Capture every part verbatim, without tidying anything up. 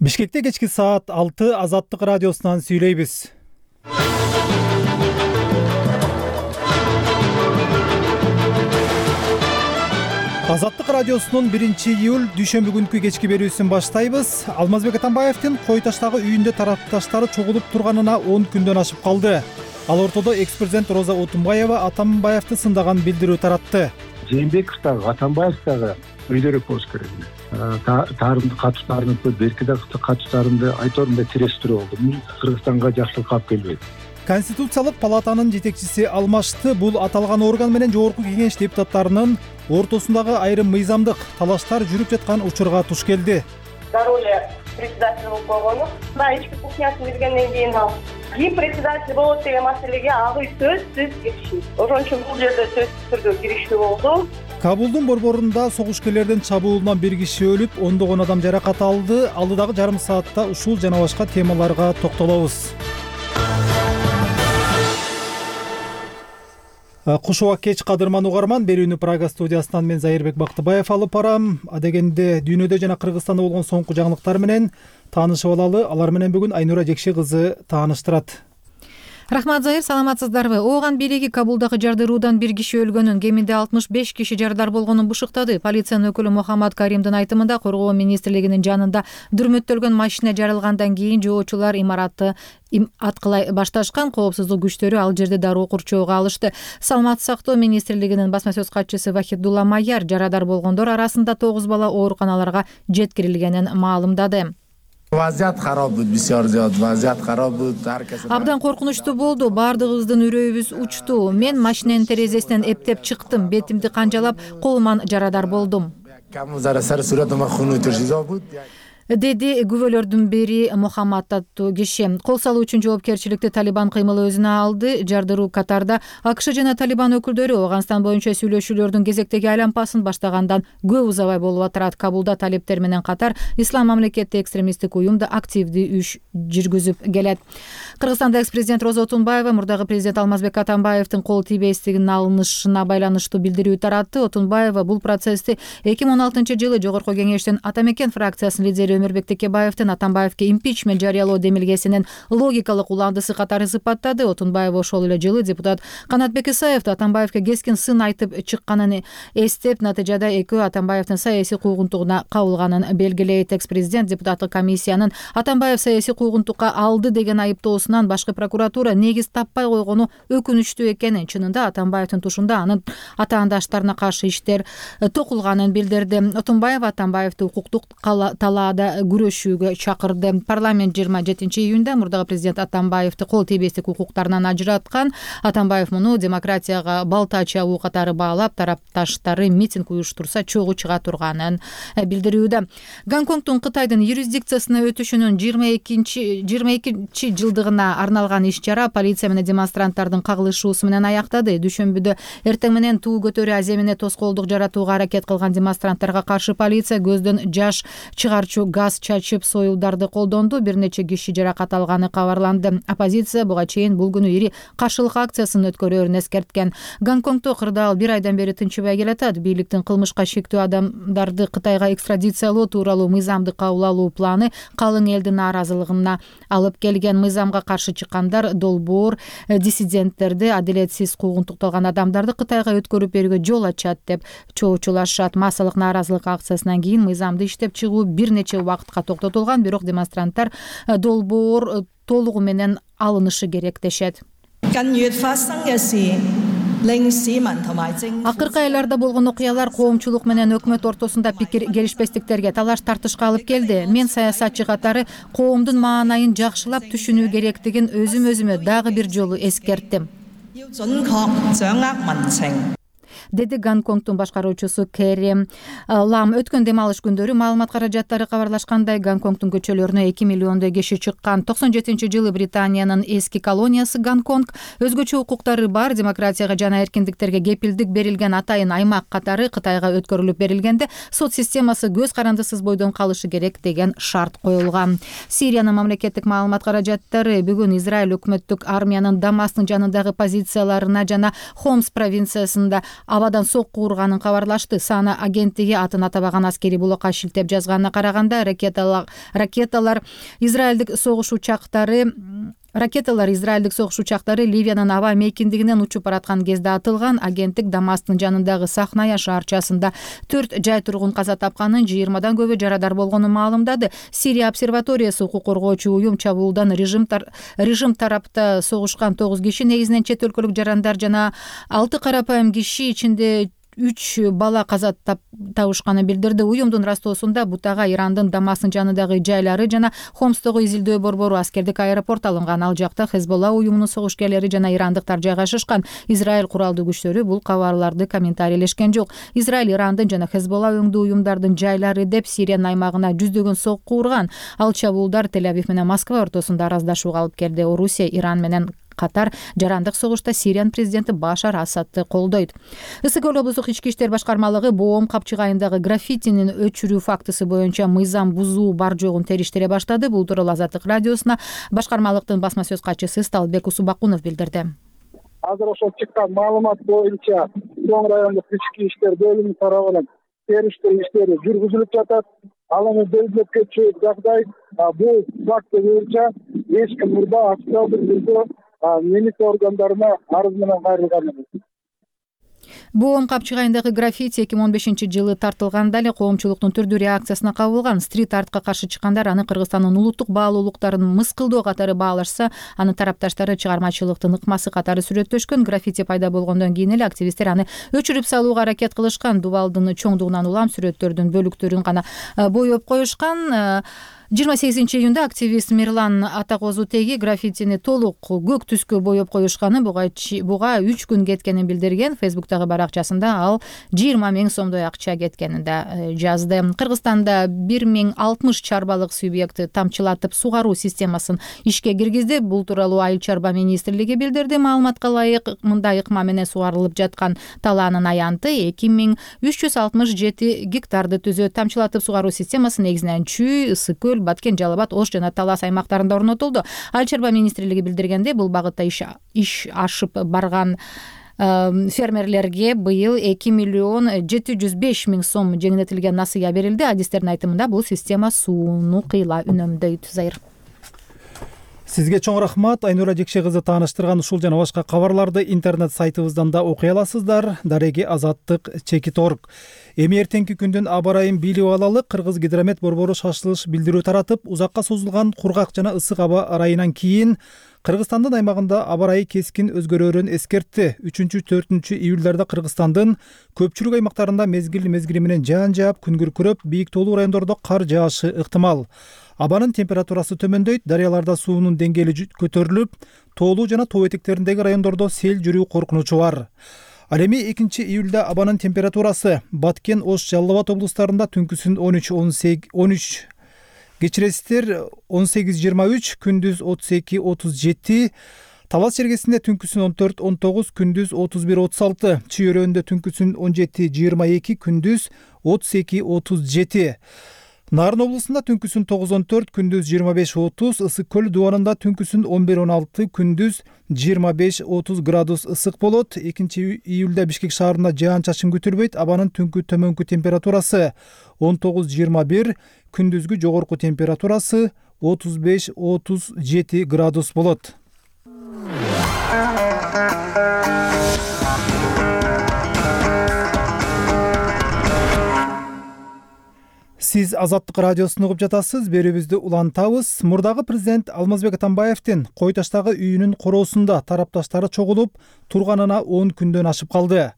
Бишкекте кечки саат алты Азаттык радиосунан сүйлөйбүз. Азаттык радиосунун биринчи июль дүйшөмбү күнкү кечки берүүсүн баштайбыз. Алмазбек Атамбаевдин Кой таштагы үйүндө тарапташтары чогулуп турганына он күндөн ашып калды. Ал ортодо экс-президент Роза Отунбаева Атамбаевди сындаган билдирүү таратты. Жээнбеков дагы Атамбаев дагы өйдөрөөк болуш керек. Таарымды катуштарыныкы, берки дагы катуштарымды айторунда тирештирүү болду. Бул Кыргызстанга жакшылык алып келбейт. Конституциялык палатанын жетекчиси алмашты. Бул аталган орган менен жогорку кеңеш депутаттарынын ортосундагы айрым мыйзамдык талаштар жүрүп жаткан учурга туш келди. Роля председателя болуп койгону, мына ички кухнясын бергенден кийин ал ким председатель болот деген маселеге агы сөзсүз киришти. Ошон үчүн бул жерде сөзсүз түрдө киришүү болду. Кабулдун борборунда согушкерлердин чабуулунан бир киши өлүп, ондогон адам жаракат алды. Алдыдагы жарым саатта ушул жана башка темаларга токтолобуз. Куш убак кеч кадырман угарман, берүүнү Прага студиясынан мен Зайырбек Бактыбаев алып барам. Адегенде дүйнөдө жана Кыргызстанда болгон соңку жаңылыктар менен таанышып алалы. Алар менен бүгүн Айнура Жекши кызы тааныштырат. Рахмат, Зайыр, саламатсыздарбы? Ооган бийлиги Кабулдагы жардыруудан бир киши өлгөнүн, кеминде алтымыш беш киши жарадар болгонун бушуктады. Полициянын өкүлү Мухаммад Каримдин айтымында, Коргоо министрлигинин жанында дүрмөттөлгөн машина жарылгандан кийин жоочулар имаратты аткылай башташкан. Коопсуздук күчтөрү ал жерде дароо курчоого алышты. Саламаттык сактоо министрлигинин басма сөз катчысы Вахидулла Майяр жарадар болгондор арасында тогуз бала ооруканаларга жеткирилгенин маалымдады. Вазият хароб буд, бисёр зиёд вазият хароб буд. Абдан коркунучтуу болду. Бардыгыбыздын үрөйүбүз учту. Мен машинанын терезесинен эптеп чыктым. Бетимди канжалап, колуман жарадар болдум, деди күбөлөрдүн бири Мухаммад аттуу киши. Кол салуу үчүн жоопкерчиликти Талибан кыймылы өзүнө алды. Жардыруу катарда АКШ жана Талибан өкүлдөрү Афганистан боюнча сүйлөшүүлөрдүн кезектеги айланпасын баштагандан көп узабай болуп атат. Кабулда талиптер менен катар Ислам мамлекети экстремисттик уюм да активдүү иш жүргүзүп келет. Кыргызстанда экс-президент Роза Отунбаева мурдагы президент Алмазбек Атамбаевдин кол тийбестигинин алынышына байланыштуу билдирүү таратты. Отунбаева бул процессти эки миң он алтынчы жылы жогорку кеңештин Атамекен фракциясынын лидери Өмүрбек Текебаевдин Атамбаевге импичмент жарыялоо демилгесинин логикалык уландысы катары сыпаттады. Отунбаева ошол эле жылы депутат Канатбек Исаевди Атамбаевге кескин сын айтып чыкканын эстеп, натыйжада экөө Атамбаевдин саясий куугунтугуна кабылганын белгилейт. Экс-президент депутаттык комиссиянын Атамбаев саясий куугунтукка алды деген айыптоосунан башкы прокуратура негиз таппай койгону өкүнүчтүү экенин, чынында Атамбаевдин тушунда анын атаандаштарына каршы иштер токулганын билдирди. Отунбаев Атамбаевди укуктук талаада күрөшүүгө чакырды. Парламент жыйырма жетинчи июнда мурдагы президент Атамбаевди кол тийбестик укуктарынан ажыраткан. Атамбаев муну демократияга балта чабуу катары баалап, тарапташтары митинг уюштурса чогуу чыга турганын билдирүүдө. Гонконгдун Кытайдын юрисдикциясына өтүшүнүн жыйырма экинчи жылдыгына арналган иш-чара полиция менен демонстранттардын кагылышуусу менен аяктады. Дүйшөмбүдө эртең менен туу көтөрүү аземине тоскоолдук жаратууга аракет кылган демонстранттарга каршы полиция көздөн жаш чыгарчу газ чачып союлдарды колдонду. Бир нече киши жаракат алганы кабарланды. Оппозиция буга чейин бул күнү ири каршылык акциясын өткөрөөрүн эскерткен. Гонконгдо кырдаал бир айдан бери тынчыбай келатат. Бийликтин кылмышка шектүү адамдарды Кытайга экстрадициялоо тууралуу мыйзамды кабыл алуу планы калың элдин нааразылыгына алып келген. Мыйзамга каршы чыккандар долбоор диссиденттерди, адилетсиз куугунтукталган адамдарды Кытайга өткөрүп берүүгө жол ачат деп чоочулашат. Массалык нааразылык акциясынан кийин мыйзамды иштеп чыгуу бир нече убакытка токтотулган, бирок демонстранттар долбоор толугу менен алынышы керек дешет. Акыркы айларда болгон окуялар коомчулук менен өкмөт ортосунда пикир келишпестиктерге, талаш тартышка алып келди. Мен саясатчы катары коомдун маанайын жакшылап түшүнүү керектигин өзүм өзүмө дагы бир жолу эскерттим, деди Гонконгдун башкаруучусу Кэри Лам. Өткөн дем алыш күндөрү маалымат каражаттары кабарлашкандай Гонконгдун көчөлөрүнө эки миллиондой киши чыккан. токсон жетинчи жылы Британиянын эски колониясы Гонконг өзгөчө укуктары бар, демократияга жана эркиндиктерге кепилдик берилген атайын аймак катары Кытайга өткөрүлүп берилгенде сот системасы көз карандысыз бойдон калышы керек деген шарт коюлган. Сириянын мамлекеттик маалымат каражаттары бүгүн Израиль өкмөттүк армиянын Дамастын жанындагы позицияларына жана Хомс провинциясында абадан сокку урганын кабарлашты. Сана агенттиги атын атабаган аскери блокко шилтеп жазганына караганда ракеталар израилдик согуш учактары Ракеталар израилдик согуш учактары Ливиянын аба мейкиндигинен учуп бараткан кезде атылган. Агенттик Дамасктын жанындагы Сахная шаарчасында төрт жай тургун каза тапканын, жыйырмадан көбү жарадар болгонун маалымдады. Сирия обсерваториясы укук коргоочу уюм чабуулдан режим режим тарапта согушкан тогуз киши, негизинен чет өлкөлүк жарандар жана алты карапайым киши, ичинде үч бала каза табышканын билдирди. Уюмдун растоосунда бутага Ирандын Дамасктын жанындагы жайлары жана Хомстогу изилдөө борбору аскердик аэропорт алынган. Ал жакта Хезболла уюмунун согушкерлери жана ирандыктар жайгашышкан. Израиль куралдуу күчтөрү бул кабарларды комментарийлешкен жок. Израиль Ирандын жана Хезболла өңдүү уюмдардын жайлары деп Сириянын аймагына жүздөгөн сокку урган. Ал чабуулдар Тель-Авив менен Москва ортосунда араздашууга алып келди. Орусия Иран менен катар жарандык согушта Сириянын президенти Башар Асадты колдойт. Ысык Көл облустук ички иштер башкармалыгы Боом капчыгайындагы граффитинин өчүрүү фактысы боюнча мыйзам бузуу бар жогун териштире баштады. Бул тууралуу Азаттык радиосуна башкармалыктын басма сөз катчысы Сталбек Усубакунов билдирди. Азыр ошол чыккан маалымат боюнча Чоң райондук ички иштер бөлүмү тарабынан териштирүү иштери жүргүзүлүп жатат. Ал эми белгилеп кетчү жагдай бул факт боюнча эч ким мурда официалдык түрдө милиция органдарына арыз менен кайрылган эмес. Боом капчыгайындагы граффити эки миң он бешинчи жылы тартылганда эле коомчулуктун түрдүү реакциясына кабылган. Стрит-артка каршы чыккандар аны Кыргызстандын улуттук баалуулуктарын мыскылдоо катары баалашса, анын тарапташтары чыгармачылыктын ыкмасы катары сүрөттөшкөн. Граффити пайда болгондон кийин эле активисттер аны өчүрүп салууга аракет кылышкан. Дубалдын чоңдугунан улам сүрөттөрдүн бөлүктөрүн гана боеп коюшкан. жыйырма сегизинчи июнда активист Мирлан Атакозутеги граффитини толук көк түскө боеп коюшканы, буга үч күн кеткенин билдирген. Фейсбуктагы баракчасында ал жыйырма миң сомдой акча кеткенин да жазды. Кыргызстанда бир миң алтымыш чарбалык субъекти тамчылатып сугаруу системасын ишке киргизди. Бул тууралуу Айыл чарба министрлиги билдирди. Маалыматка ылайык, мындай ыкма менен сугарылып жаткан талаанын аянты эки миң үч жүз алтымыш жети гектарды түзөт. Тамчылатып сугаруу системасы негизинен Чүй, Ысык Көл, Баткен, Жалал Абад, Ош жана Талас аймактарында орнотулду. Айыл чарба министрлиги билдиргенде, бул багытта иш ашып барган фермерлерге быйыл эки миллион жети жүз беш миң сом жеңилдетилген насыя берилди. Адистердин айтымында бул система сууну кыйла үнөмдөйт. Зайыр. Сизге чоң рахмат. Айнура Жекше кызы тааныштырган ушул жана башка кабарларды интернет сайтыбыздан да окуй аласыздар. Дареги Азаттык чекит орг. Эми эртеңки күндүн аба ырайын билип алалы. Кыргыз гидромет борбору шашылыш билдирүү таратып, узакка созулган кургак жана ысык аба ырайынан кийин Кыргызстандын аймагында аба ырайы кескин өзгөрөөрүн эскертти. үчүнчү төртүнчү июльдарда Кыргызстандын көпчүлүк аймактарында мезгил мезгили менен жаан жаап, күн күркүрөп, бийик тоолуу райондордо кар жаашы ыктымал. Абанын температурасы төмөндөйт, дарыяларда суунун деңгээли көтөрүлүп, тоолуу жана тоо этектериндеги райондордо сел жүрүү коркунучу бар. Ал эми экинчи июльда абанын температурасы Баткен, Ош, Жалал Абад облустарында түнкүсүн он үч он үч кечиресиздер он сегиз жыйырма үч, күндүз отуз эки отуз жети, Талас жергесинде түнкүсүн он төрт он тогуз, күндүз отуз бир отуз алты, Чүй өрөөнүндө түнкүсүн он жети жыйырма эки, күндүз отуз эки отуз жети. Нарын облусунда түнкүсүн тогуз он төрт, күндүз жыйырма беш отуз, Ысык Көл дубанында түнкүсүн он бир он алты, күндүз жыйырма беш отуз градус ысык болот. экинчи июльда Бишкек шаарында жаан-чачын күтүлбөйт. Абанын түнкү төмөнкү температурасы он тогуз жыйырма бир, күндүзгү жогорку температурасы отуз беш отуз жети градус болот. Сиз Азаттык радиосун угуп жатасыз. Берүүбүздү улантабыз. Мурдагы президент Алмазбек Атамбаевдин Кой таштагы үйүнүн короосунда тарапташтары чогулуп турганына он күндөн ашып калды.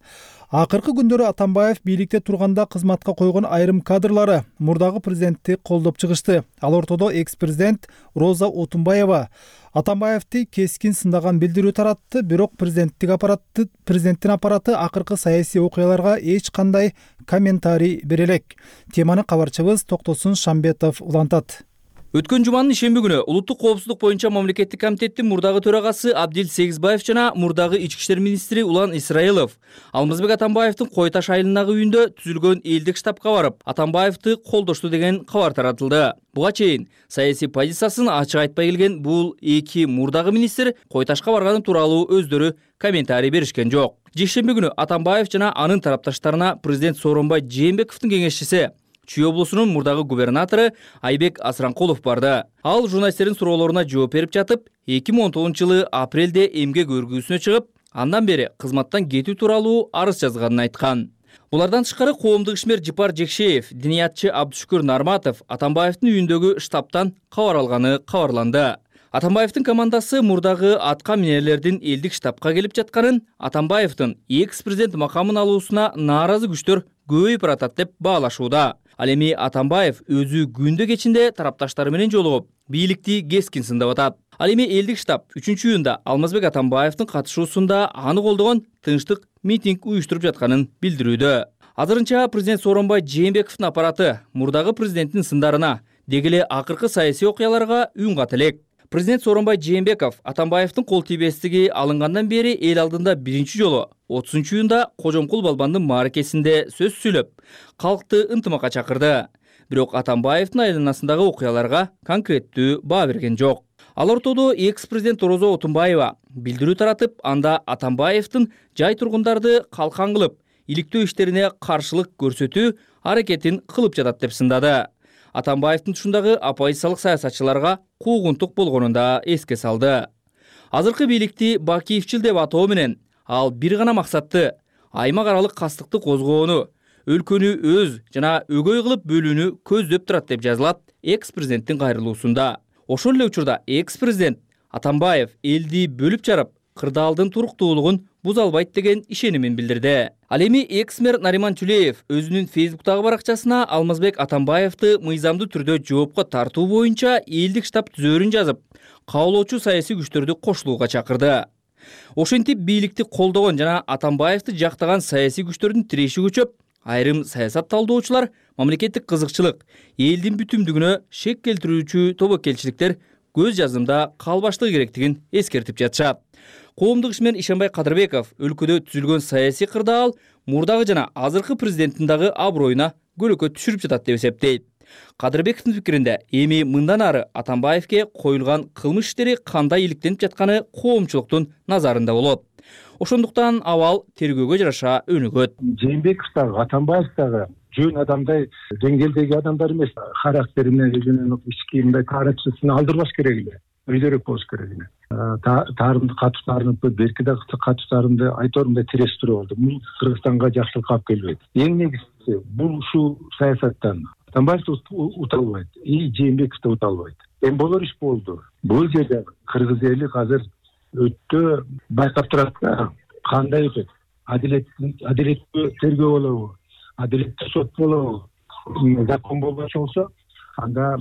Акыркы күндөрү Атамбаев бийликте турганда кызматка койгон айрым кадрлары мурдагы президентти колдоп чыгышты. Ал ортодо экс-президент Роза Отунбаева Атамбаевди кескин сындаган билдирүү таратты, бирок президенттик аппараты президенттин аппараты акыркы саясий окуяларга эч кандай комментарий бере элек. Теманы кабарчыбыз Токтосун Шамбетов улантат. Өткөн жуманын ишемби күнү улуттук коопсуздук боюнча мамлекеттик комитеттин мурдагы төрагасы Абдил Сегизбаев жана мурдагы ички иштер министри Улан Исраилов Алмазбек Атамбаевдин Кой Таш айылындагы үйүндө түзүлгөн элдик штабка барып, Атамбаевди колдошту деген кабар таратылды. Буга чейин саясий позициясын ачык айтпай келген бул эки мурдагы министр Кой Ташка барганы тууралуу өздөрү комментарий беришкен жок. Жекшемби күнү Атамбаев жана анын тарапташтарына президент Сооронбай Жээнбековдун кеңешчиси Чүй облусунун мурдагы губернатору Айбек Асранкулов барды. Ал журналисттердин суроолоруна жооп берип жатып, эки миң он тогузунчу жылы апрелде эмгек өргүүсүнө чыгып, андан бери кызматтан кетүү тууралуу арыз жазганын айткан. Булардан тышкары коомдук ишмер Жипар Жекшеев, диниятчы Абдышүкүр Нарматов Атамбаевдин үйүндөгү штабтан кабар алганы кабарланды. Атамбаевдин командасы мурдагы атка минерлердин элдик штабка келип жатканын, Атамбаевдин экс-президент макамын алуусуна нааразы күчтөр көбөйүп баратат деп баалашууда. Ал эми Атамбаев өзү күндө кечинде тарапташтары менен жолугуп, бийликти кескин сындап атат. Ал эми элдик штаб үчүнчү июнда Алмазбек Атамбаевдин катышуусунда аны колдогон тынчтык митинг уюштуруп жатканын билдирүүдө. Азырынча президент Сооронбай Жээнбековдун аппараты мурдагы президенттин сындарына, деги эле акыркы саясий окуяларга үн ката элек. Президент Сооронбай Жээнбеков Атамбаевдин кол тийбестиги алынгандан бери эл алдында биринчи жолу отузунчу июнда Кожомкул Балбандын мааракесинде сөз сүйлөп, калкты ынтымакка чакырды. Бирок Атамбаевдин айланасындагы окуяларга конкреттүү баа берген жок. Ал ортодо экс-президент Орозо Отунбаева билдирүү таратып, анда Атамбаевдин жай тургундарды калкан кылып, иликтөө иштерине каршылык көрсөтүү аракетин кылып жатат деп сындады. Атамбаевдин тушундагы оппозициялык саясатчыларга куугунтук болгонун да эске салды. Азыркы бийликти Бакиевчил деп атоо менен ал бир гана максатты — аймак аралык кастыкты козгоону, өлкөнү өз жана өгөй кылып бөлүүнү көздөп турат деп жазылат экс-президенттин кайрылуусунда. Ошол эле учурда экс-президент Атамбаев элди бөлүп жарып, кырдаалдын туруктуулугун буза албайт деген ишенимин билдирди. Ал эми экс-мэр Нариман Тюлеев өзүнүн Фейсбуктагы баракчасына Алмазбек Атамбаевди мыйзамдуу түрдө жоопко тартуу боюнча элдик штаб түзөөрүн жазып, каалоочу саясий күчтөрдү кошулууга чакырды. Ошентип бийликти колдогон жана Атамбаевди жактаган саясий күчтөрдүн тиреши көчөп, айрым саясат талдоочулар мамлекеттик кызыкчылык, элдин бүтүмдүгүнө шек келтирүүчү тобокелчиликтер көз жазымда калбаштыгы керектигин эскертип жатышат. Коомдук ишмер Ишенбай Кадырбеков өлкөдө түзүлгөн саясий кырдаал мурдагы жана азыркы президенттин дагы аброюна көлөкө түшүрүп жатат деп эсептейт. Кадырбековдун пикиринде, эми мындан ары Атамбаевге коюлган кылмыш иштери кандай иликтенип жатканы коомчулуктун назарында болот. Ошондуктан абал тергөөгө жараша өнүгөт. Жээнбеков дагы, Атамбаев дагы жөн адамдай деңгээлдеги адамдар эмес. Характерине, өзүнүн ички мындай каарачысына алдырбаш керек эле. Өйдөрөөк болуш керек эле. Таарымды катуштарымды, берки да катуштарымды айторумдай тирештирүү болду. Бул Кыргызстанга жакшылык алып келбейт. Эң негизгиси бул ушул саясаттан Атамбаев уталбайт, и Жээнбеков да уталбайт. Эми болор иш болду. Бул жерде кыргыз эли азыр өтө байкап турат да, кандай өтөт? Адилеттүү адилеттүү тергөө болобу? Адилеттүү сот болобу? Закон болбочу болсо, анда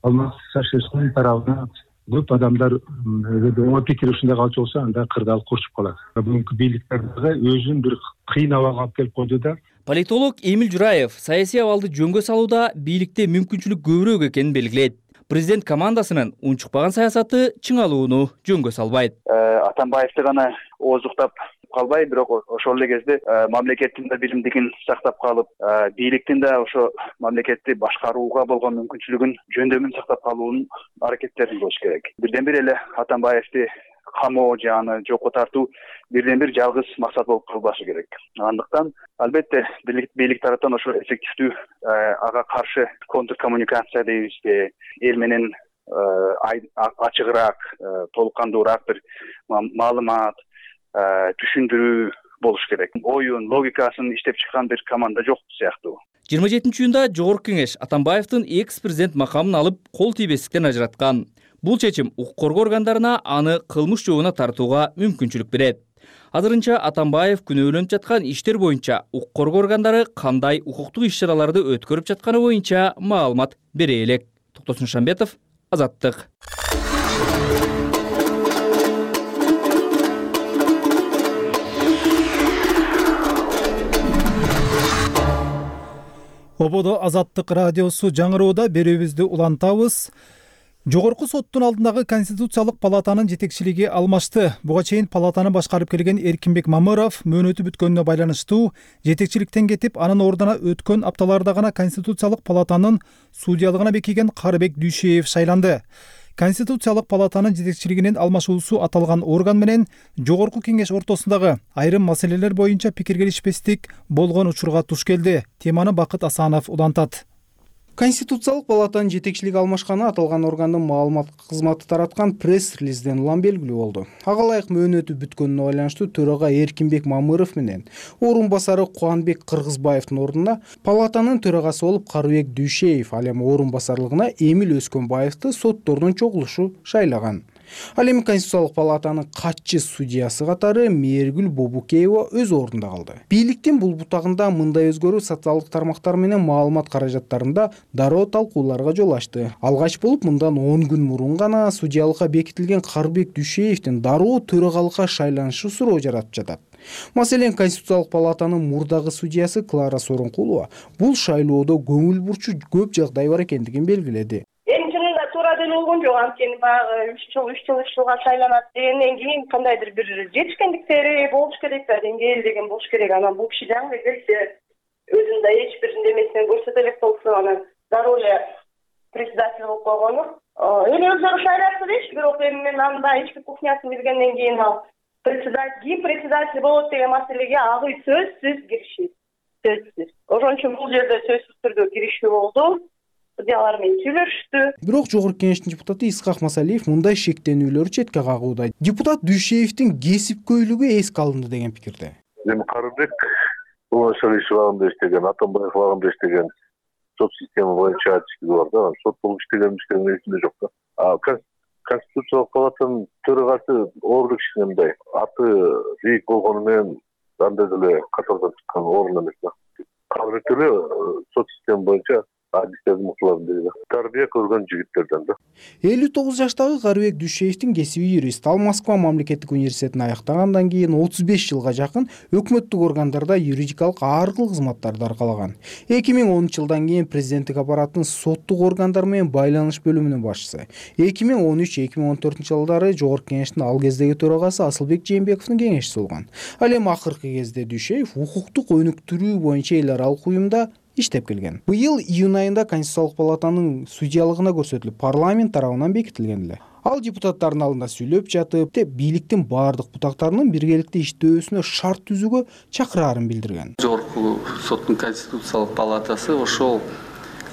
Алмаз Шашевскийдин тарабына көп адамдар оң пикир ушундай калчу болсо, анда кырдаал курчуп калат. Бүгүнкү бийликтер өзүн бир кыйын абалга алып келип койду да. Политолог Эмил Жураев саясий абалды жөнгө салууда бийликте мүмкүнчүлүк көбүрөөк экенин белгилейт. Президент командасынын унчукпаган саясаты чыңалууну жөнгө салбайт. Атамбаевди гана оозуктап калбай, бирок ошол эле кезде мамлекеттин да билимдигин сактап калып, бийликтин да ошо мамлекетти башкарууга болгон мүмкүнчүлүгүн, жөндөмүн сактап калуунун аракеттерин кылыш керек. Бирден бир эле Атамбаевди камоо же аны жокко тартуу бирден бир жалгыз максат болуп калбашы керек. Андыктан албетте бийлик тараптан ошо эффективдүү ага каршы контркоммуникация дейбизби, эл менен ачыгыраак, толук кандуураак бир маалымат, түшүндүрүү болуш керек. Оюн, логикасын иштеп чыккан бир команда жок сыяктуу. жыйырма жетинчи июнда Жогорку кеңеш Атамбаевдин экс-президент макамын алып кол тийбестиктен ажыраткан. Бул чечим укук коргоо органдарына аны кылмыш жообуна тартууга мүмкүнчүлүк берет. Азырынча Атамбаев күнөөлөнүп жаткан иштер боюнча укук коргоо органдары кандай укуктук иш-чараларды өткөрүп жатканы боюнча маалымат бере элек. Токтосун Шамбетов, Азаттык. Ободо Азаттык радиосу жаңыроодо берүүбүздү улантабыз. Жогорку соттун алдындагы Конституциялык палатанын жетекчилиги алмашты. Буга чейин палатаны башкарып келген Эркинбек Мамыров мөөнөтү бүткөнүнө байланыштуу жетекчиликтен кетип, анын ордуна өткөн апталарда гана Конституциялык палатанын судьялыгына бекиген Карыбек Дүйшеев шайланды. Конституциялык палатанын жетекчилигинин алмашуусу аталган орган менен Жогорку кеңеш ортосундагы айрым маселелер боюнча пикир келишпестик болгон учурга туш келди. Теманы Бакыт Асанов улантат. Конституциялык палатанын жетекчилиги алмашканы аталган органдын маалымат кызматы тараткан пресс-релизден улам белгилүү болду. Ага ылайык мөөнөтү бүткөнүнө байланыштуу төрага Эркинбек Мамыров менен орун басары Кубанбек Кыргызбаевдин ордуна палатанын төрагасы болуп Карыбек Дүйшеев, ал эми орун басарлыгына Эмил Өскөнбаевди соттордун чогулушу шайлаган. Ал эми Конституциялык палатанын катчы судьясы катары Мээргүл Бобукеева өз ордунда калды. Бийликтин бул бутагында мындай өзгөрүү социалдык тармактар менен маалымат каражаттарында дароо талкууларга жол ачты. Алгач болуп мындан он күн мурун гана судьялыкка бекитилген Карыбек Дүйшеевдин дароо төрагалыкка шайланышы суроо жаратып жатат. Маселен, Конституциялык палатанын мурдагы судьясы Клара Сооронкулова бул шайлоодо көңүл бурчу көп жагдай бар экендигин белгиледи. Туура деле болгон жок, анткени баягы үч жыл үч жыл үч жылга шайланат дегенден кийин кандайдыр бир жетишкендиктери болуш керек да, деңгээл деген болуш керек. Анан бул киши жаңы келсе өзүнүн да эч бир немесин көрсөтө элек болсо, анан дароо эле председатель болуп койгону. Эми өздөрү шайлашты дейчи, бирок эми мен анда ички кухнясын билгенден кийин ал председатель, ким председатель болот деген маселеге агы сөзсүз киришти. Сөзсүз. Ошон үчүн бул жерде сөзсүз түрдө киришүү болду. Судьялар менен сүйлөштү. Бирок Жогорку кеңештин депутаты Исхак Масалиев мындай шектенүүлөрдү четке кагууда. Депутат Дүйшеевдин кесипкөйлүгү эске алынды деген пикирде. Эми Карыбек бул иш убагында иштеген, Атамбаев убагында иштеген сот система боюнча ачыктыгы бар да, сот болуп иштеген иштеген эсимде жок да. А Конституциялык палатанын төрагасы орду киши мындай аты бийик болгону менен андай деле катардан чыккан орун эмес да. Карыбек деле сот система боюнча тарбия көргөн жигиттерден да. элүү тогуз жаштагы Карыбек Дүйшеевдин кесиби юрист. Ал Москва мамлекеттик университетин аяктагандан кийин отуз беш жылга жакын өкмөттүк органдарда юридикалык ар кыл кызматтарды аркалаган. эки миң онунчу жылдан кийин президенттик аппараттын соттук органдар менен байланыш бөлүмүнүн башчысы. эки миң он үч эки миң он төртүнчү жылдары Жогорку кеңештин ал кездеги төрагасы Асылбек Жээнбековдун кеңешчиси болгон. Ал эми акыркы кезде Дүйшеев укуктук өнүктүрүү боюнча эл аралык уюмда иштеп келген. Быйыл июнь айында Конституциялык палатанын судьялыгына көрсөтүлүп, парламент тарабынан бекитилген эле. Ал депутаттардын алдында сүйлөп жатып, бийликтин баардык бутактарынын биргеликте иштөөсүнө шарт түзүүгө чакыраарын билдирген. Жогорку соттун Конституциялык палатасы ошол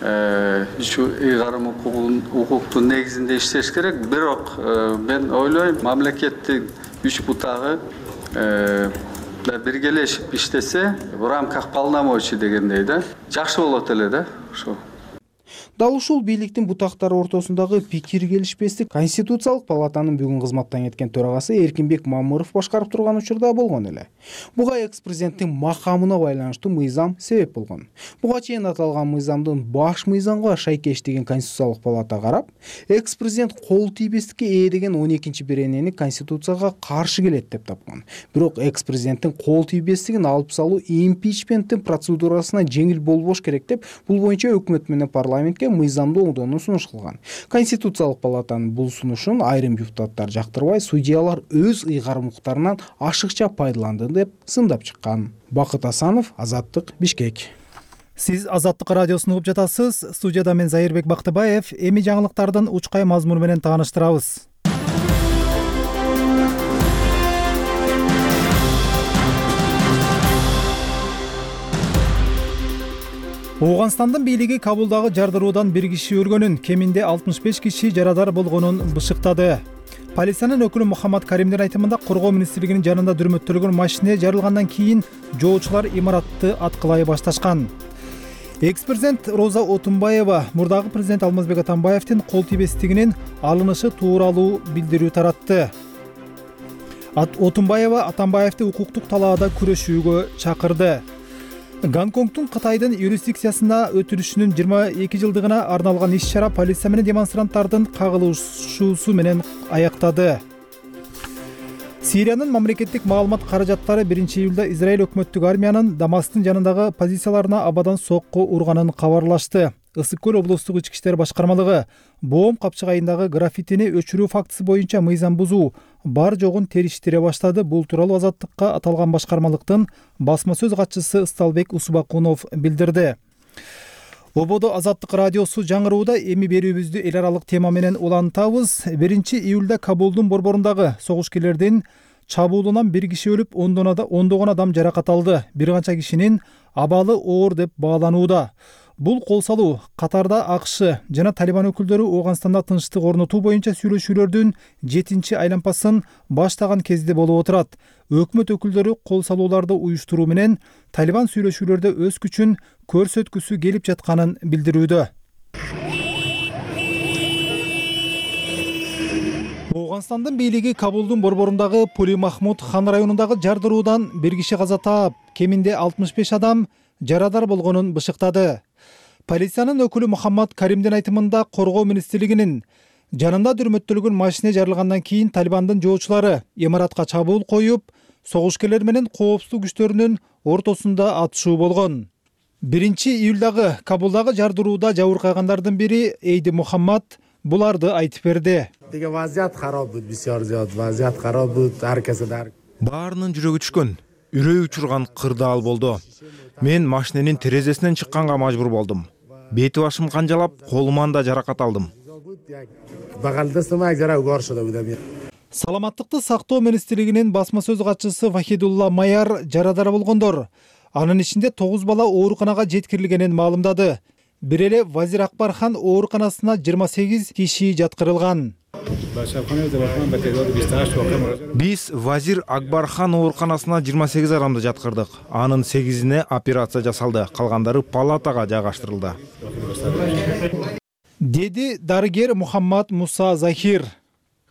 үчү ыйгарым укуктун негизинде иштеш керек. Бирок мен ойлойм, мамлекеттин үч бутагы биргелешип иштесе, в рамках полномочий дегендей да, жакшы болот эле да, ошо. Дал ушул бийликтин бутактары ортосундагы пикир келишпестик Конституциялык палатанын бүгүн кызматтан кеткен төрагасы Эркинбек Мамыров башкарып турган учурда болгон эле. Буга экс-президенттин макамына байланыштуу мыйзам себеп болгон. Буга чейин аталган мыйзамдын баш мыйзамга шайкештигин Конституциялык палата карап, экс-президент кол тийбестикке ээ деген он экинчи беренени Конституцияга каршы келет деп тапкан. Бирок экс-президенттин кол тийбестигин алып салуу импичменттин процедурасына жеңил болбош керек деп, бул боюнча өкмөт менен парламентке мыйзамды оңдоону сунуш кылган. Конституциялык палатанын бул сунушун айрым депутаттар жактырбай, судьялар өз ыйгарым укуктарынан ашыкча пайдаланды деп сындап чыккан. Бакыт Асанов, Азаттык, Бишкек. Сиз Азаттык радиосун угуп жатасыз. Студияда мен Зайырбек Бактыбаев. Эми жаңылыктардын учкай мазмуну менен тааныштырабыз. Ооганстандын бийлиги Кабулдагы жардыруудан бир киши өлгөнүн, кеминде алтымыш беш киши жарадар болгонун бышыктады. Полициянын өкүлү Мухаммад Каримдин айтымында, коргоо министрлигинин жанында дүрмөттөлгөн машина жарылгандан кийин жоочулар имаратты аткылай башташкан. Экс-президент Роза Отунбаева мурдагы президент Алмазбек Атамбаевдин кол тийбестигинин алынышы тууралуу билдирүү таратты. Отунбаева Атамбаевди укуктук талаада күрөшүүгө чакырды. Гонконгдун Кытайдын юрисдикциясына өтүлүшүнүн жыйырма эки жылдыгына арналган иш-чара полиция менен демонстранттардын кагылышуусу менен аяктады. Сириянын мамлекеттик маалымат каражаттары биринчи июлда Израиль өкмөттүк армиянын Дамасктын жанындагы позицияларына абадан сокку урганын кабарлашты. Ысык көл облустук ички иштер башкармалыгы Боом капчыгайындагы граффитини өчүрүү фактысы боюнча мыйзам бузуу бар жогун териштире баштады. Бул тууралуу Азаттыкка аталган башкармалыктын басма сөз катчысы Ысталбек Усубакунов билдирди. Ободо Азаттык радиосу жаңырууда эми берүүбүздү эл аралык тема менен улантабыз. биринчи июлда Кабулдун борборундагы согушкерлердин чабуулунан бир киши өлүп, ондогон адам жаракат алды. Бир канча кишинин абалы оор деп бааланууда. Бул кол салуу катарда АКШ жана Талибан өкүлдөрү Ооганстанда тынчтык орнотуу боюнча сүйлөшүүлөрдүн жетинчи айланпасын баштаган кезде болуп отурат. Өкмөт өкүлдөрү кол салууларды уюштуруу менен Талибан сүйлөшүүлөрдө өз күчүн көрсөткүсү келип жатканын билдирүүдө. Ооганстандын бийлиги Кабулдун борборундагы Пули Махмуд хан районундагы жардыруудан бир киши каза таап, кеминде алтымыш беш адам жарадар болгонун бышыктады. Полициянын өкүлү Мухаммад Каримдин айтымында коргоо министрлигинин жанында дүрмөттөлгөн машине жарылгандан кийин Талибандын жоочулары имаратка чабуул коюп, согушкерлер менен коопсуздук күчтөрүнүн ортосунда атышуу болгон. биринчи июлдагы Кабулдагы жардырууда жабыркагандардын бири Эйди Мухаммад буларды айтып берди. Баарынын жүрөгү түшкөн, үрөй учурган кырдаал болду. Мен машиненин терезесинен чыкканга мажбур болдум. Бети башым канжалап, колуман да жаракат алдым. Саламаттыкты сактоо министрлигинин басма сөз катчысы Вахидулла Майар жарадар болгондор, анын ичинде тогуз бала ооруканага жеткирилгенин маалымдады. Бир эле Вазир Акбархан ооруканасына жыйырма сегиз киши жаткырылган. Биз Вазир Акбархан ооруканасына жыйырма сегиз адамды жаткырдык. Анын сегизине операция жасалды, калгандары палатага жайгаштырылды. Деди дарыгер Мухаммад Муса Захир.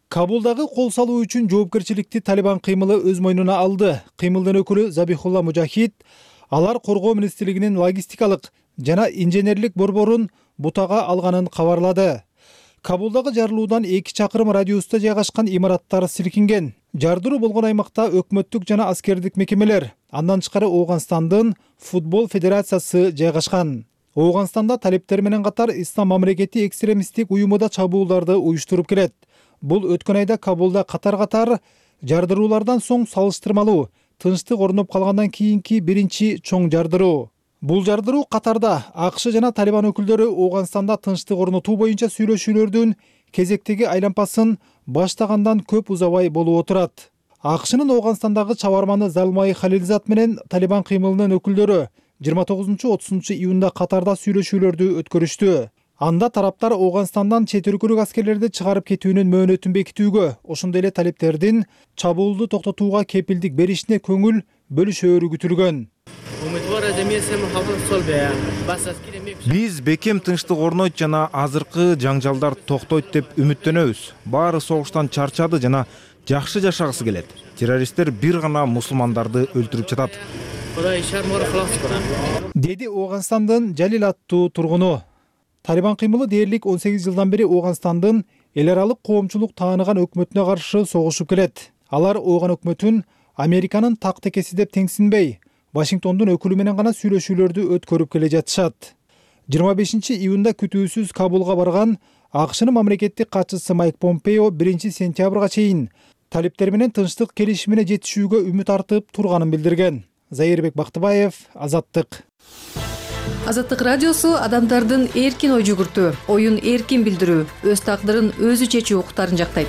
Кабулдагы кол салуу үчүн жоопкерчиликти Талибан кыймылы өз мойнуна алды. Кыймылдын өкүлү Забихулла Мужахид алар коргоо министрлигинин логистикалык жана инженерлик борборун бутага алганын кабарлады. Кабулдагы жарылуудан эки чакырым радиуста жайгашкан имараттар силкинген. Жардыруу болгон аймакта өкмөттүк жана аскердик мекемелер, андан тышкары Ооганстандын футбол федерациясы жайгашкан. Ооганстанда талиптер менен катар Ислам мамлекети экстремисттик уюму да чабуулдарды уюштуруп келет. Бул өткөн айда Кабулда катар-катар жардыруулардан соң салыштырмалуу тынчтык орноп калгандан кийинки биринчи чоң жардыруу. Бул жардыруу катарда АКШ жана Талибан өкүлдөрү Ооганстанда тынчтык орнотуу боюнча сүйлөшүүлөрдүн кезектеги айланпасын баштагандан көп узабай болуп отурат. АКШнын Ооганстандагы чабарманы Залмай Халилзат менен Талибан кыймылынын өкүлдөрү жыйырма тогузунчу отузунчу июнда катарда сүйлөшүүлөрдү өткөрүштү. Анда тараптар Ооганстандан чет өлкөлүк аскерлерди чыгарып кетүүнүн мөөнөтүн бекитүүгө, ошондой эле талиптердин чабуулду токтотууга кепилдик беришине көңүл бөлүшөөрү күтүлгөн. Биз бекем тынчтык орнойт жана азыркы жаңжалдар токтойт деп үмүттөнөбүз. Баары согуштан чарчады жана жакшы жашагысы келет. Террористтер бир гана мусулмандарды өлтүрүп жатат. Деди Ооганстандын Жалил аттуу тургуну. Талибан кыймылы дээрлик он сегиз жылдан бери Ооганстандын эл аралык коомчулук тааныган өкмөтүнө каршы согушуп келет. Алар Ооган өкмөтүн Американын так текеси деп теңсинбей, Вашингтондун өкүлү менен гана сүйлөшүүлөрдү өткөрүп келе жатышат. жыйырма бешинчи июнда күтүүсүз Кабулга барган АКШнын мамлекеттик катчысы Майк Помпео биринчи сентябрга чейин талиптер менен тынчтык келишимине жетишүүгө үмүт артып турганын билдирген. Заирбек Бактыбаев, Азаттык. Азаттык радиосу адамдардын эркин ой жүгүртүү, оюн эркин билдирүү, өз тагдырын өзү чечүү укуктарын жактайт.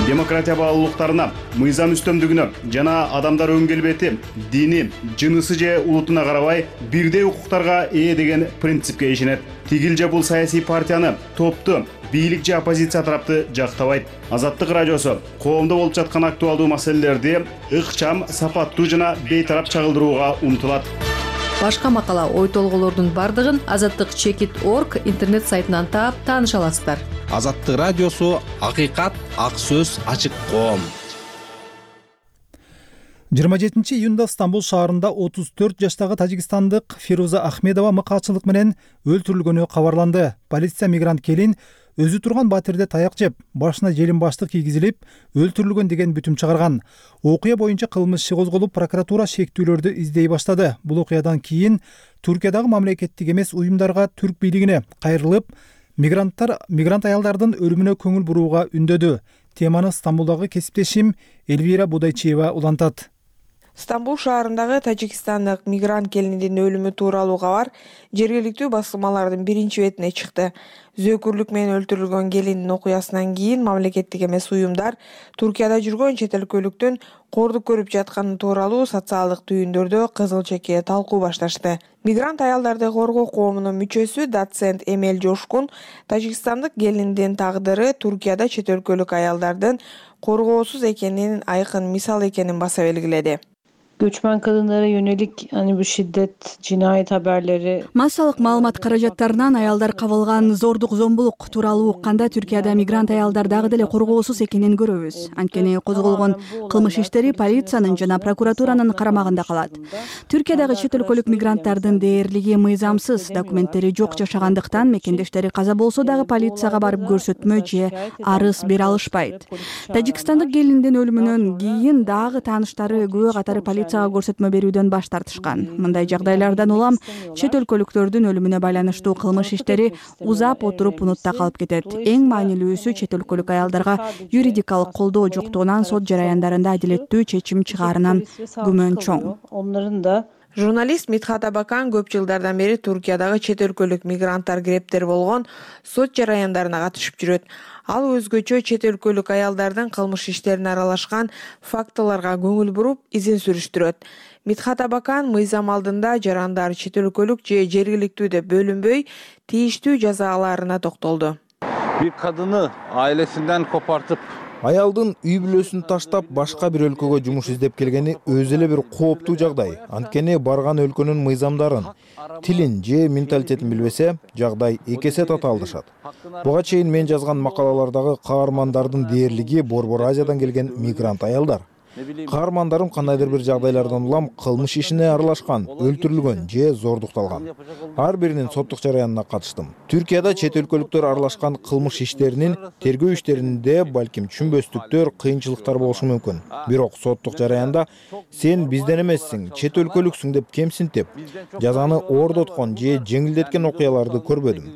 Демократия баалуулуктарына, мыйзам үстөмдүгүнө жана адамдар өң келбети, дини, жынысы же улутуна карабай бирдей укуктарга ээ деген принципке ишенет. Тигил же бул саясий партияны, топту, бийлик же оппозиция тарапты жактабайт. Азаттык радиосу коомдо болуп жаткан актуалдуу маселелерди ыкчам, сапаттуу жана бейтарап чагылдырууга умтулат. Башка макала, ой толголордун бардыгын азаттык чекит точка орг интернет сайтынан таап тааныша аласыздар. Азаттык радиосу акыйкат, ак сөз, ачык коом. жыйырма жетинчи июнда Стамбул шаарында отуз төрт жаштагы тажикстандык Фируза Ахмедова мыкаачылык менен өлтүрүлгөнү кабарланды. Полиция мигрант келин өзү турган батирде таяк жеп, башына желим баштык кийгизилип, өлтүрүлгөн деген бүтүм чыгарган. Окуя боюнча кылмыш иши козголуп, прокуратура шектүүлөрдү издей баштады. Бул окуядан кийин Түркиядагы мамлекеттик эмес уюмдарга, түрк бийлигине кайрылып, мигранттар мигрант аялдардын өлүмүнө көңүл бурууга үндөдү. Теманы Стамбулдагы кесиптешим Эльвира Будайчиева улантат. Стамбул шаарындагы тажикстандык мигрант келиндин өлүмү тууралуу кабар жергиликтүү басылмалардын биринчи бетине чыкты. Зөөкүрлүк менен өлтүрүлгөн келиндин окуясынан кийин мамлекеттик эмес уюмдар Туркияда жүргөн чет өлкөлүктүн кордук көрүп жатканы тууралуу социалдык түйүндөрдө кызыл чеке талкуу башташты. Мигрант аялдарды коргоо коомунун мүчөсү доцент Эмел Жошкун тажикстандык келиндин тагдыры Туркияда чет өлкөлүк аялдардын коргоосуз экенинин айкын мисал экенин баса белгиледи. Göçmen kadınlara yönelik hani bu şiddet, cinayet haberleri. Массалык маалымат каражаттарынан аялдар кабылган зордук зомбулук тууралуу укканда Түркияда мигрант аялдар дагы деле коргоосуз экенин көрөбүз. Анткени козголгон кылмыш иштери полициянын жана прокуратуранын карамагында калат. Түркиядагы чет өлкөлүк мигранттардын дээрлиги мыйзамсыз, документтери жок жашагандыктан мекендештери каза болсо дагы полицияга барып көрсөтмө же арыз бере алышпайт. Тажикстандык келиндин өлүмүнөн кийин дагы тааныштары күбө катары полицияга көрсөтмө берүүдөн баш тартышкан. Мындай жагдайлардан улам чет өлкөлүктөрдүн өлүмүнө байланыштуу кылмыш иштери узап отуруп унутта калып кетет. Эң маанилүүсү чет өлкөлүк аялдарга юридикалык колдоо жоктугунан сот жараяндарында адилеттүү чечим чыгаарынан күмөн чоң. Onların da Журналист Митхат Абакан көп жылдардан бери Туркиядагы чет өлкөлүк мигранттар грептер болгон сот жараяндарына катышып жүрөт. Ал өзгөчө чет өлкөлүк аялдардын кылмыш иштерине аралашкан фактыларга көңүл буруп, изин сүрүштүрөт. Митхат Абакан мыйзам алдында жарандар чет өлкөлүк же жергиликтүү деп бөлүнбөй, тийиштүү жаза аларына токтолду. Bir kadını ailesinden kopartıp Аялдын үй бүлөсүн таштап башка бир өлкөгө жумуш издеп келгени өзү эле бир кооптуу жагдай. Анткени барган өлкөнүн мыйзамдарын, тилин же менталитетин билбесе, жагдай эки эсе татаалдашат. Буга чейин мен жазган макалалардагы каармандардын дээрлиги Борбор Азиядан келген мигрант аялдар. Каармандарым кандайдыр бир жагдайлардан улам кылмыш ишине аралашкан, өлтүрүлгөн же зордукталган. Ар биринин соттук жараянына катыштым. Түркияда чет өлкөлүктөр аралашкан кылмыш иштеринин тергөө иштеринде балким түшүнбөстүктөр, кыйынчылыктар болушу мүмкүн. Бирок соттук жараянда сен бизден эмессиң, чет өлкөлүксүң деп кемсинтип, жазаны ордоткон же жеңилдеткен окуяларды көрбөдүм.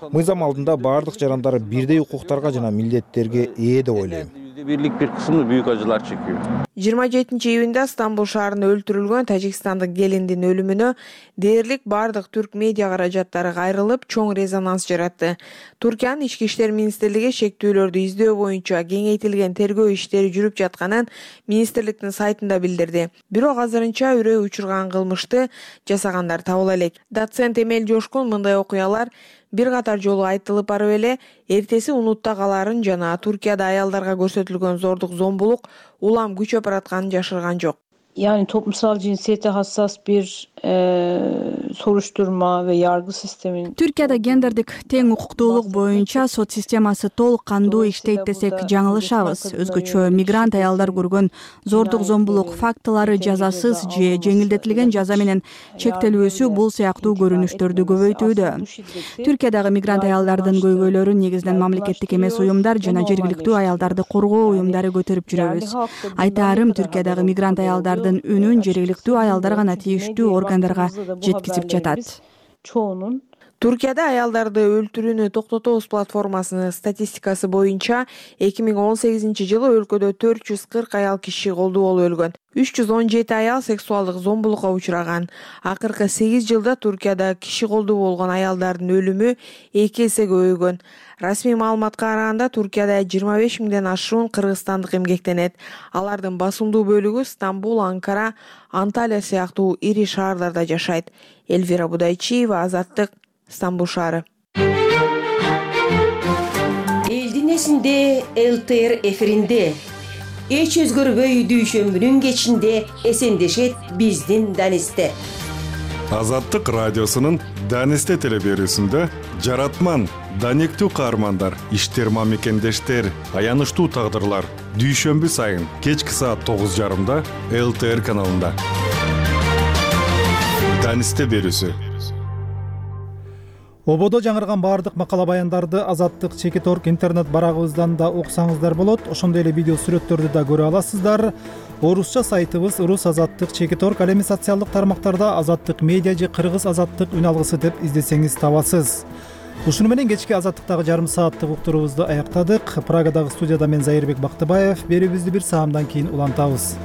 Мыйзам алдында бардык жарандар бирдей укуктарга жана милдеттерге ээ деп ойлойм. birlik bir kısmını büyük acılar çekiyor. жыйырма жетинчи июнда Стамбул шаарында өлтүрүлгөн тажикстандык келиндин өлүмүнө дээрлик бардык түрк медиа каражаттары кайрылып, чоң резонанс жаратты. Туркиянын ички иштер министрлиги шектүүлөрдү издөө боюнча кеңейтилген тергөө иштери жүрүп жатканын министрликтин сайтында билдирди. Бирок азырынча үрөө учурган кылмышты жасагандар табыла элек. Доцент Эмел Жошкун мындай окуялар бир катар жолу айтылып барып эле эртеси унутта каларын жана Туркияда аялдарга көрсөтүлгөн зордук зомбулук улам күчөп баратканын жашырган жок. Yani toplumsal cinsiyete hassas bir e, soruşturma ve yargı sisteminin Türkiye'de гендердик тең укуктуулук боюнча сот системасы толук кандуу иштейт десек жаңылышабыз. Өзгөчө мигрант аялдар көргөн зордук зомбулук фактылары жазасыз же жеңилдетилген жаза менен чектелүүсү бул сыяктуу көрүнүштөрдү көбөйтүүдө. Түркиядагы мигрант аялдардын көйгөйлөрүн негизинен мамлекеттик эмес уюмдар жана жергиликтүү аялдарды коргоо уюмдары көтөрүп жүрөбүз. Айтаарым, Түркиядагы мигрант аялдар үнүн жергиликтүү аялдар гана тийиштүү органдарга жеткизип жатат. Çoğunun Туркияда аялдарды өлтүрүүнү токтотобуз платформасынын статистикасы боюнча эки миң он сегизинчи жылы өлкөдө төрт жүз кырк аял киши колдуу болуп өлгөн. үч жүз он жети аял сексуалдык зомбулукка учураган. Акыркы сегиз жылда Туркияда киши колдуу болгон аялдардын өлүмү эки эсе көбөйгөн. Расмий маалыматка караганда Туркияда жыйырма беш миңден ашуун кыргызстандык эмгектенет. Алардын басымдуу бөлүгү Стамбул, Анкара, Анталия сыяктуу ири шаарларда жашайт. Эльвира Будайчиева, Азаттык, Стамбул шаары. Элдин эсинде эл тэ эр эфиринде эч өзгөрбөй дүйшөмбүнүн кечинде эсендешет биздин Данисте. Азаттык радиосунун Данисте телеберүүсүндө жаратман, даниктүү каармандар, иштерма мекендештер, аянычтуу тагдырлар дүйшөмбү сайын кечки саат тогуз жарымда эл тэ эр каналында. Данисте берүүсү. ободо жаңырган баардык макала баяндарды азаттык чекит орг интернет барагыбыздан да окусаңыздар болот. Ошондой эле видео сүрөттөрдү да көрө аласыздар. Орусча сайтыбыз рус азаттык чекит орг, ал эми социалдык тармактарда азаттык медиа же кыргыз азаттык үн алгысы деп издесеңиз табасыз. Ушуну менен кечки азаттыктагы жарым сааттык уктуруубузду аяктадык. Прагадагы студияда мен Зайырбек Бактыбаев. Берүүбүздү бир саамдан кийин улантабыз.